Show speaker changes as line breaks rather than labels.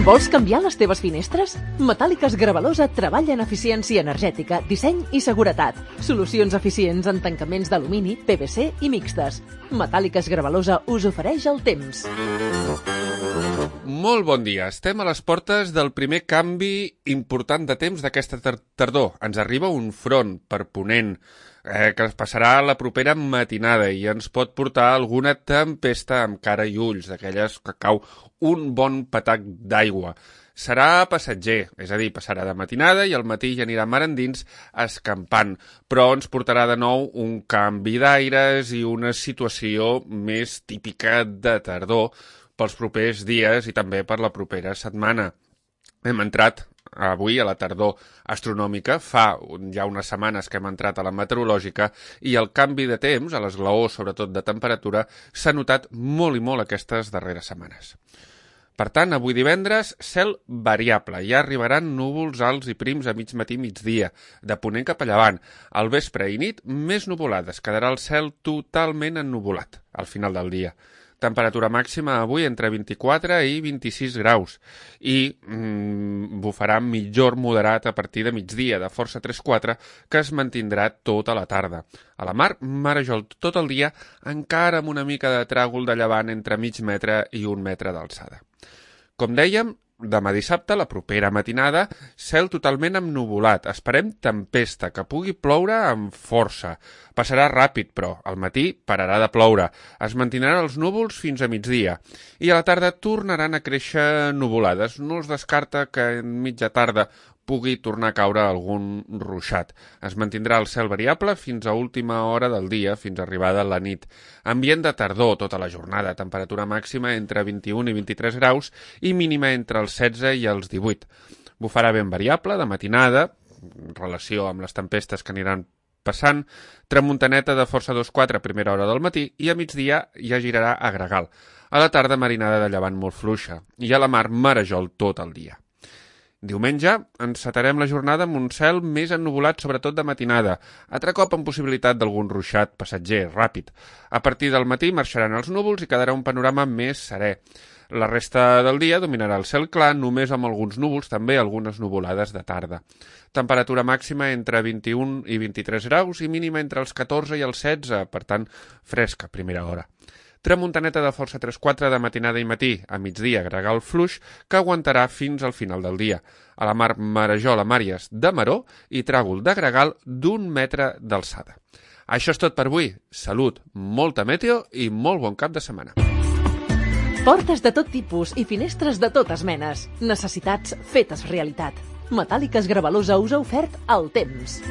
Vols canviar les teves finestres? Metàl·liques Gravalosa treballa en eficiència energètica, disseny i seguretat. Solucions eficients en tancaments d'alumini, PVC i mixtes. Metàl·liques Gravalosa us ofereix el temps.
Molt bon dia. Estem a les portes del primer canvi important de temps d'aquesta tardor. Ens arriba un front per ponent que es passarà la propera matinada i ens pot portar alguna tempesta amb cara i ulls, d'aquelles que cau un bon patac d'aigua. Serà passatger, és a dir, passarà de matinada i al matí ja anirà mar endins escampant, però ens portarà de nou un canvi d'aires i una situació més típica de tardor pels propers dies i també per la propera setmana. Hem entrat avui a la tardor astronòmica, fa ja unes setmanes que hem entrat a la meteorològica i el canvi de temps, a l'esglaó sobretot de temperatura, s'ha notat molt i molt aquestes darreres setmanes. Per tant, avui divendres, cel variable. Ja arribaran núvols alts i prims a mig matí i migdia, de ponent cap a llevant. Al vespre i nit, més nuvolades. Quedarà el cel totalment ennuvolat al final del dia. Temperatura màxima avui entre 24 i 26 graus i bufarà mitjor moderat a partir de migdia, de força 3-4, que es mantindrà tota la tarda. A la mar, marejol tot el dia, encara amb una mica de tràgol de llevant entre mig metre i 1 metre d'alçada. Com dèiem, demà dissabte, la propera matinada, cel totalment ennuvolat. Esperem tempesta, que pugui ploure amb força. Passarà ràpid, però al matí pararà de ploure. Es mantindran els núvols fins a migdia. I a la tarda tornaran a créixer nuvolades. No es descarta que en mitja tarda pugui tornar a caure algun ruixat. Es mantindrà el cel variable fins a última hora del dia, fins arribada la nit. Ambient de tardor tota la jornada, temperatura màxima entre 21 i 23 graus i mínima entre els 16 i els 18. Bufarà vent variable de matinada, en relació amb les tempestes que aniran passant, tramuntaneta de força 2-4 a primera hora del matí i a migdia ja girarà a gregal. A la tarda marinada de llevant molt fluixa i a la mar marejol tot el dia. Diumenge encetarem la jornada amb un cel més ennuvolat, sobretot de matinada, altre cop amb possibilitat d'algun ruixat passatger, ràpid. A partir del matí marxaran els núvols i quedarà un panorama més serè. La resta del dia dominarà el cel clar, només amb alguns núvols, també algunes nuvolades de tarda. Temperatura màxima entre 21 i 23 graus i mínima entre els 14 i els 16, per tant, fresca a primera hora. Tramuntaneta de força 3-4 de matinada i matí, a migdia gregal fluix, que aguantarà fins al final del dia. A la mar marejol a Màries de Maró i tràgol de gregal d'1 metre d'alçada. Això és tot per avui. Salut, molta meteo i molt bon cap de setmana.
Portes de tot tipus i finestres de totes menes. Necessitats fetes realitat. Metàl·liques Gravalosa us ha ofert el temps.